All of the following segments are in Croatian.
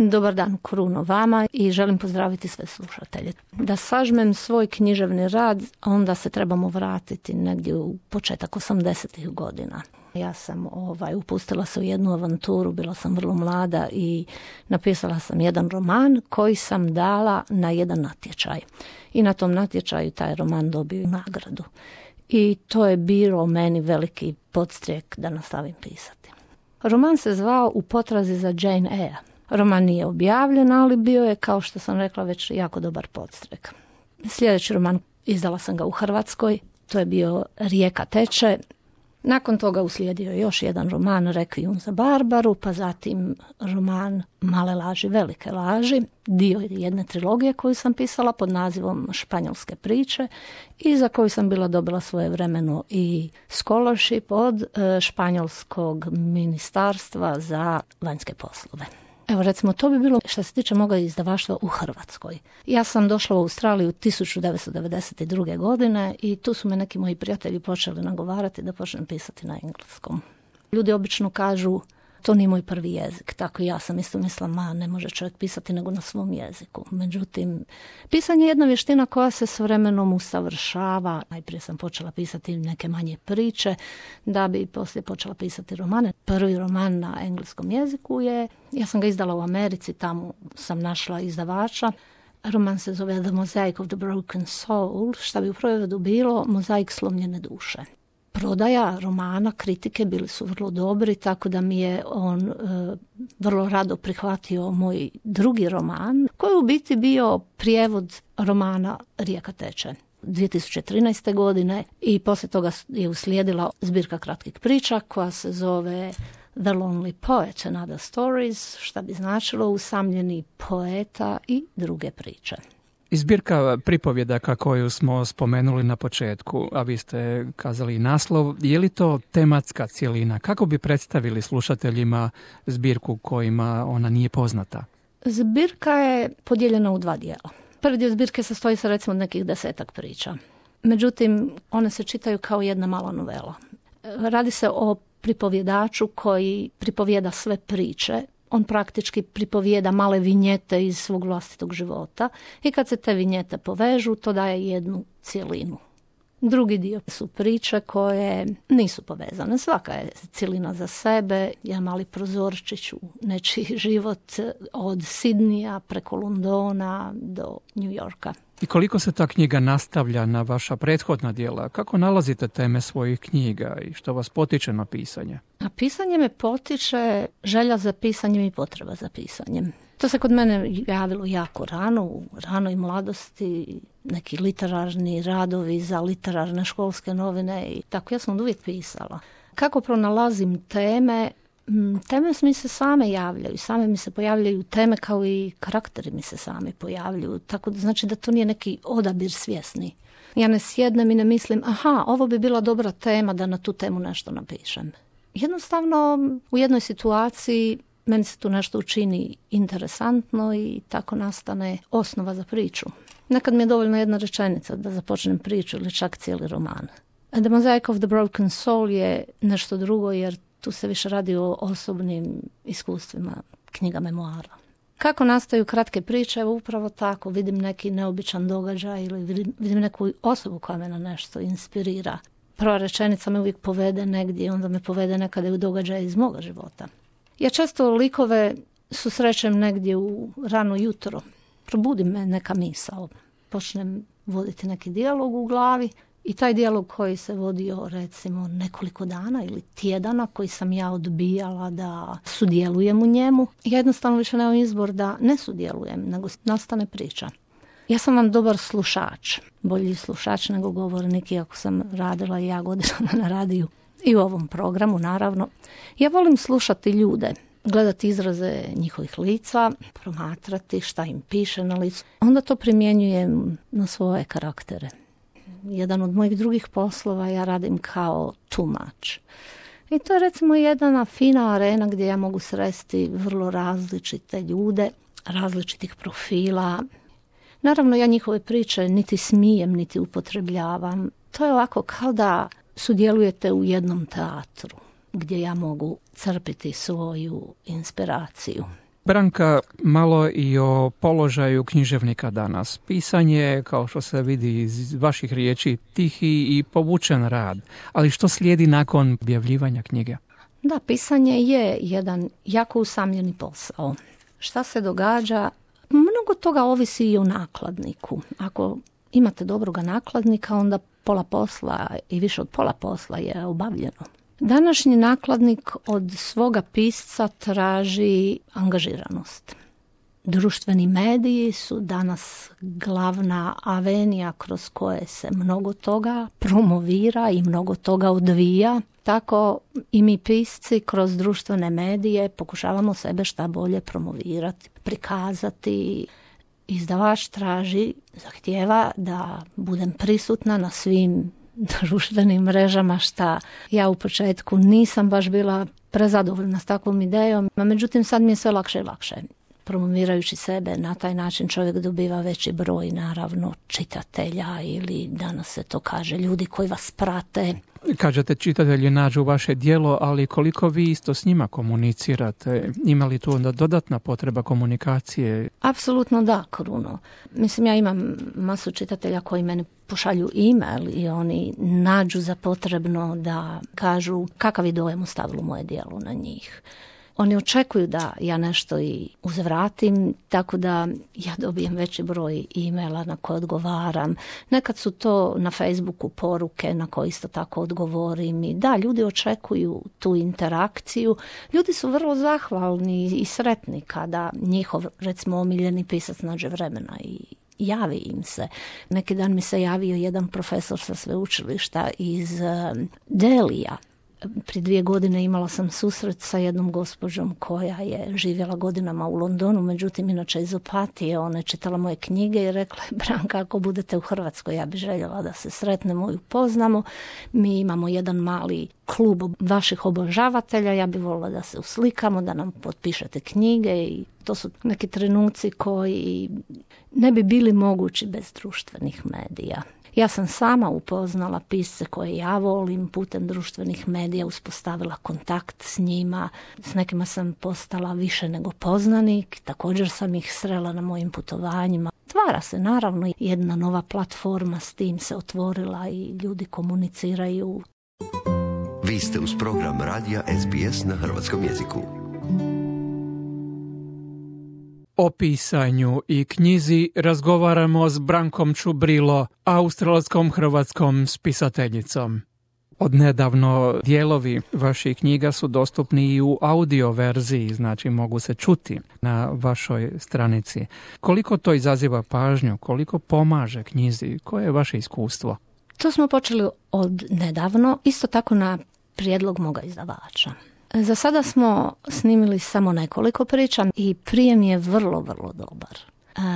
Dobar dan, Kruno, vama i želim pozdraviti sve slušatelje. Da sažmem svoj književni rad, onda se trebamo vratiti negdje u početak 80-ih godina. Ja sam upustila se u jednu avanturu, bila sam vrlo mlada i napisala sam jedan roman koji sam dala na jedan natječaj. I na tom natječaju taj roman dobio nagradu. I to je bilo meni veliki podstrijek da nastavim pisati. Roman se zvao U potrazi za Jane Eyre. Roman nije objavljen, ali bio je, kao što sam rekla, već jako dobar podstrek. Sljedeći roman, izdala sam ga u Hrvatskoj, to je bio Rijeka teče. Nakon toga uslijedio još jedan roman, Rekvijum za Barbaru, pa zatim roman Male laži, velike laži, dio jedne trilogije koju sam pisala pod nazivom Španjolske priče i za koju sam bila dobila svojevremeno i scholarship od Španjolskog ministarstva za vanjske poslove. Evo, recimo, to bi bilo što se tiče moga izdavaštva u Hrvatskoj. Ja sam došla u Australiju 1992. godine i tu su me neki moji prijatelji počeli nagovarati da počnem pisati na engleskom. Ljudi obično kažu, to nije moj prvi jezik, tako i ja sam isto mislila, ne može čovjek pisati nego na svom jeziku. Međutim, pisanje je jedna vještina koja se s vremenom usavršava. Najprije sam počela pisati neke manje priče, da bi poslije počela pisati romane. Prvi roman na engleskom jeziku ja sam ga izdala u Americi, tamo sam našla izdavača. Roman se zove The Mosaic of the Broken Soul, što bi u prevodu bilo Mozaik slomljene duše. Prodaja romana, kritike bili su vrlo dobri, tako da mi je on vrlo rado prihvatio moj drugi roman, koji je u biti bio prijevod romana Rijeka teče 2013. godine i poslije toga je uslijedila zbirka kratkih priča koja se zove The Lonely Poet and Other Stories, što bi značilo usamljeni poeta i druge priče. Zbirka pripovjedaka koju smo spomenuli na početku, a vi ste kazali naslov, je li to tematska cjelina? Kako bi predstavili slušateljima zbirku kojima ona nije poznata? Zbirka je podijeljena u dva dijela. Prvi dio zbirke sastoji se recimo od nekih 10 priča. Međutim, one se čitaju kao jedna mala novela. Radi se o pripovjedaču koji pripovjeda sve priče. On praktički pripovijeda male vinjete iz svog vlastitog života i kad se te vinjete povežu, to daje jednu cjelinu. Drugi dio su priče koje nisu povezane. Svaka je cjelina za sebe, jedan mali prozorčić u nečiji život od Sidnija preko Londona do New Yorka. I koliko se ta knjiga nastavlja na vaša prethodna djela? Kako nalazite teme svojih knjiga i što vas potiče na pisanje? A pisanje me potiče želja za pisanjem i potreba za pisanjem. To se kod mene javilo jako rano, u ranoj mladosti, neki literarni radovi za literarne školske novine i tako ja sam uvijek pisala. Kako pronalazim teme? Teme mi se same javljaju, same mi se pojavljaju teme kao i karakteri mi se sami pojavljuju, tako da znači da to nije neki odabir svjesni. Ja ne sjednem i ne mislim, ovo bi bila dobra tema da na tu temu nešto napišem. Jednostavno u jednoj situaciji meni se tu nešto učini interesantno i tako nastane osnova za priču. Nekad mi je dovoljna jedna rečenica da započnem priču ili čak cijeli roman. The Mosaic of the Broken Soul je nešto drugo jer tu se više radi o osobnim iskustvima, knjiga memoara. Kako nastaju kratke priče? Evo upravo tako, vidim neki neobičan događaj ili vidim neku osobu koja me na nešto inspirira. Prva rečenica me uvijek povede negdje, onda me povede nekada u događaj iz moga života. Ja često likove susrećem negdje u rano jutro. Probudi me neka misao. Počnem voditi neki dijalog u glavi i taj dijalog koji se vodio recimo nekoliko dana ili tjedana koji sam ja odbijala da sudjelujem u njemu. Ja jednostavno više nemam izbor da ne sudjelujem, nego nastane priča. Ja sam vam dobar slušač, bolji slušač nego govornik, iako sam radila i ja godinama na radiju i u ovom programu naravno. Ja volim slušati ljude, gledati izraze njihovih lica, promatrati šta im piše na licu. Onda to primjenjujem na svoje karaktere. Jedan od mojih drugih poslova ja radim kao tumač. I to je recimo jedna fina arena gdje ja mogu sresti vrlo različite ljude, različitih profila. Naravno ja njihove priče niti smijem, niti upotrebljavam. To je ovako kao da sudjelujete u jednom teatru gdje ja mogu crpiti svoju inspiraciju. Branka, malo i o položaju književnika danas. Pisanje, kao što se vidi iz vaših riječi, tihi i povučen rad. Ali što slijedi nakon objavljivanja knjige? Da, pisanje je jedan jako usamljeni posao. Šta se događa? Mnogo toga ovisi i o nakladniku. Ako imate dobroga nakladnika, onda pola posla i više od pola posla je obavljeno. Današnji nakladnik od svoga pisca traži angažiranost. Društveni mediji su danas glavna avenija kroz koje se mnogo toga promovira i mnogo toga odvija. Tako i mi pisci kroz društvene medije pokušavamo sebe šta bolje promovirati, prikazati. Izdavač traži, zahtijeva da budem prisutna na svim društvenim mrežama, šta ja u početku nisam baš bila prezadovoljna s takvom idejom, međutim sad mi je sve lakše i lakše. Promovirajući sebe na taj način čovjek dobiva veći broj, naravno, čitatelja ili danas se to kaže ljudi koji vas prate. Kažete, čitatelji nađu vaše djelo, ali koliko vi isto s njima komunicirate? Ima li tu onda dodatna potreba komunikacije? Apsolutno da, Kruno. Mislim, ja imam masu čitatelja koji meni pošalju e-mail i oni nađu za potrebno da kažu kakav je dojam ostavilo moje djelo na njih. Oni očekuju da ja nešto i uzvratim, tako da ja dobijem veći broj e-maila na koje odgovaram. Nekad su to na Facebooku poruke na koje isto tako odgovorim. I da, ljudi očekuju tu interakciju. Ljudi su vrlo zahvalni i sretni kada njihov, recimo, omiljeni pisac nađe vremena i javi im se. Neki dan mi se javio jedan profesor sa sveučilišta iz Delija. Prije 2 godine imala sam susret sa jednom gospođom koja je živjela godinama u Londonu, međutim inače iz Opatije. Ona je čitala moje knjige i rekla je: Branka, ako budete u Hrvatskoj, ja bih željela da se sretnemo i upoznamo. Mi imamo jedan mali klub vaših obožavatelja, ja bih voljela da se uslikamo, da nam potpišete knjige. I to su neki trenuci koji ne bi bili mogući bez društvenih medija. Ja sam sama upoznala pisce koje ja volim, putem društvenih medija uspostavila kontakt s njima. S nekima sam postala više nego poznanik, također sam ih srela na mojim putovanjima. Stvara se naravno jedna nova platforma, s tim se otvorila i ljudi komuniciraju. Vi ste uz program radija SBS na hrvatskom jeziku. O pisanju i knjizi razgovaramo s Brankom Čubrilo, australskom hrvatskom spisateljicom. Odnedavno dijelovi vaših knjiga su dostupni i u audio verziji, znači mogu se čuti na vašoj stranici. Koliko to izaziva pažnju, koliko pomaže knjizi, koje je vaše iskustvo? To smo počeli od nedavno, isto tako na prijedlog moga izdavača. Za sada smo snimili samo nekoliko priča i prijem je vrlo, vrlo dobar.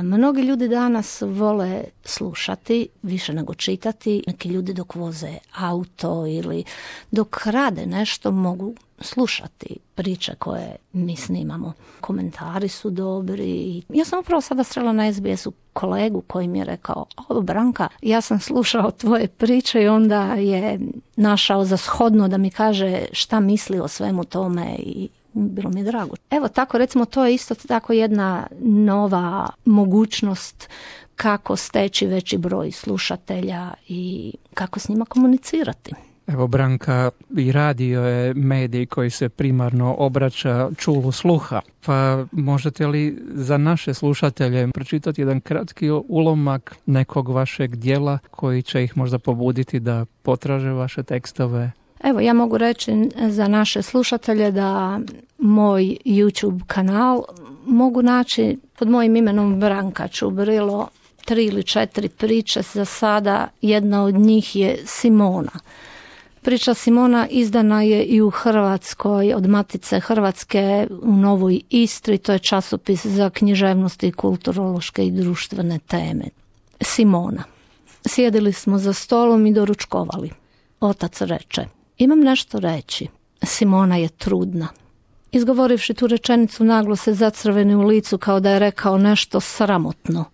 Mnogi ljudi danas vole slušati više nego čitati. Neki ljudi dok voze auto ili dok rade nešto mogu slušati priče koje mi snimamo. Komentari su dobri. Ja sam upravo sada srela na SBS-u kolegu koji mi je rekao: Branka, ja sam slušao tvoje priče, i onda je našao za shodno da mi kaže šta misli o svemu tome i bilo mi je drago. Evo tako, recimo, to je isto tako jedna nova mogućnost kako steći veći broj slušatelja i kako s njima komunicirati. Evo, Branka, i radio je medij koji se primarno obraća čulu sluha. Pa možete li za naše slušatelje pročitati jedan kratki ulomak nekog vašeg djela koji će ih možda pobuditi da potraže vaše tekstove? Evo, ja mogu reći za naše slušatelje da moj YouTube kanal mogu naći pod mojim imenom Branka Čubrilo. 3 ili 4 priče za sada. Jedna od njih je Simona. Priča Simona izdana je i u Hrvatskoj od Matice Hrvatske u Novoj Istri. To je časopis za književnost i kulturološke i društvene teme. Simona. Sjedili smo za stolom i doručkovali. Otac reče: imam nešto reći. Simona je trudna. Izgovorivši tu rečenicu, naglo se zacrveni u licu kao da je rekao nešto sramotno.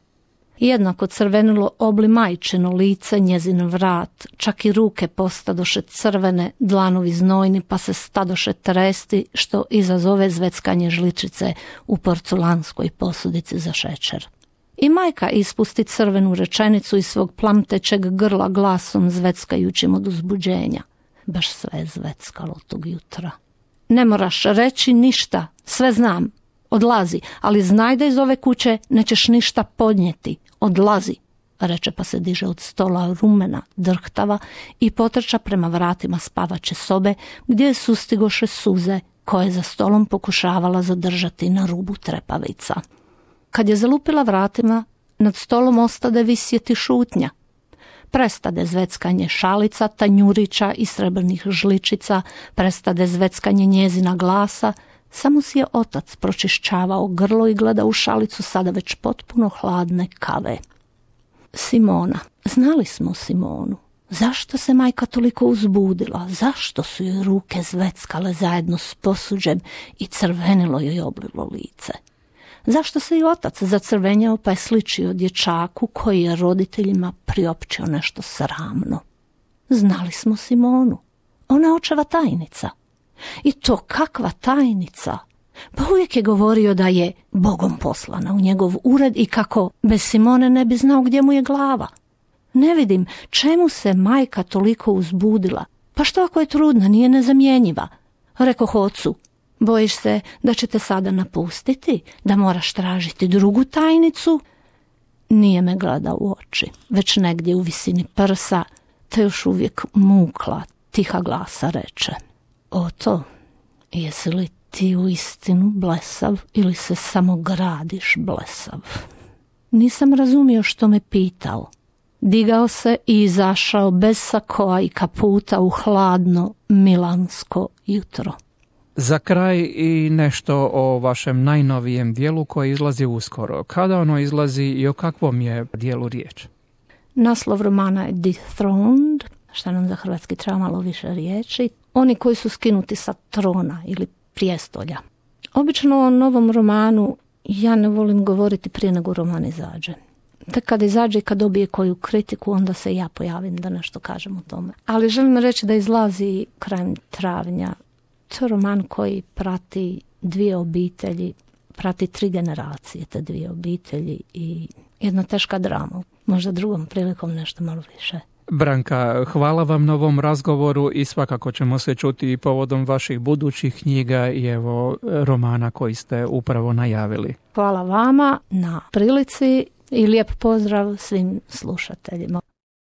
Jednako crvenilo obli majčino lice, njezin vrat, čak i ruke postadoše crvene, dlanovi znojni, pa se stadoše tresti, što izazove zveckanje žličice u porculanskoj posudici za šećer. I majka ispusti crvenu rečenicu iz svog plamtećeg grla glasom zveckajućim od uzbuđenja. Baš sve je zveckalo tog jutra. Ne moraš reći ništa, sve znam. Odlazi, ali znaj da iz ove kuće nećeš ništa podnijeti. Odlazi, reče pa se diže od stola rumena, drhtava i potrča prema vratima spavače sobe gdje sustigoše suze koje za stolom pokušavala zadržati na rubu trepavica. Kad je zalupila vratima, nad stolom ostade visjeti šutnja. Prestade zveckanje šalica, tanjurića i srebrnih žličica, prestade zveckanje njezina glasa, samo si je otac pročišćavao grlo i gleda u šalicu sada već potpuno hladne kave. Simona. Znali smo Simonu. Zašto se majka toliko uzbudila? Zašto su joj ruke zveckale zajedno s posuđem i crvenilo joj oblilo lice? Zašto se i otac zacrvenjao pa je sličio dječaku koji je roditeljima priopćio nešto sramno? Znali smo Simonu. Ona je očeva tajnica. I to kakva tajnica! Pa uvijek je govorio da je Bogom poslana u njegov ured i kako bez Simone ne bi znao gdje mu je glava. Ne vidim čemu se majka toliko uzbudila. Pa što ako je trudna, nije nezamjenjiva? Rekoh ocu, bojiš se da će te sada napustiti, da moraš tražiti drugu tajnicu? Nije me gledao u oči, već negdje u visini prsa, te još uvijek mukla, tiha glasa reče. Oto, jesi li ti u istinu blesav ili se samo gradiš blesav? Nisam razumio što me pitao. Digao se i izašao bez sakoa i kaputa u hladno milansko jutro. Za kraj i nešto o vašem najnovijem dijelu koji izlazi uskoro. Kada ono izlazi i o kakvom je dijelu riječ? Naslov romana je Dethroned, što nam za hrvatski treba malo više riječi. Oni koji su skinuti sa trona ili prijestolja. Obično o novom romanu ja ne volim govoriti prije nego roman izađe. Tek kad izađe i kad dobije koju kritiku, onda se ja pojavim da nešto kažem o tome. Ali želim reći da izlazi krajem travnja. To je roman koji prati dvije obitelji, prati 3 generacije te dvije obitelji i jedna teška drama. Možda drugom prilikom nešto malo više. Branka, hvala vam na ovom razgovoru i svakako ćemo se čuti i povodom vaših budućih knjiga i evo romana koji ste upravo najavili. Hvala vama na prilici i lijep pozdrav svim slušateljima.